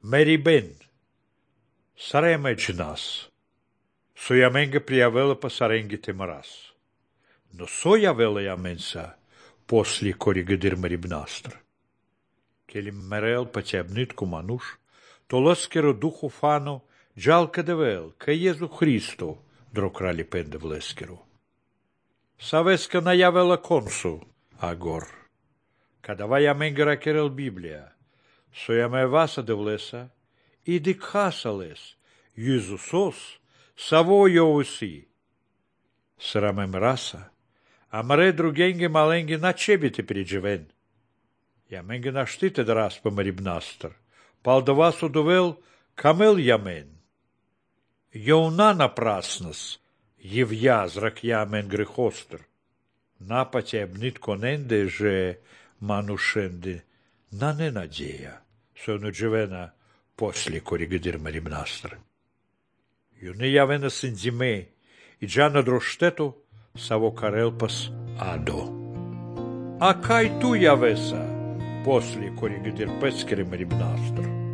Meribén, Saremeci nas, soiamenga пријавела па саренгите марас, но сојавела јаменса после коригадир марибнастр. Кели мерел па ќебнитку мануш, то ласкеро духу фано, джалка девел, ка Језу Христо, дро крали пенде влескеро. Савеска најавела консу, агор. Када вајаменга ракерел Библија, сојаме васа девлеса, и дикхасалес, Језусос, саво јовуси. Срамем раса, амре другенге маленге на чебите приджевен. Јаменге наштите да распа марибнастр, пал да вас удовел камел јамен. Јовна напраснас, јевја зрак јамен грехостр. Напаќе ебнитко ненде же манушенде на ненадеја, со нуджевена после коригадир марибнастр. Јуне јавена синдзиме и джана дроштето саво карелпас адо. А кај ту јавеса после коригадир пескери марибнастр?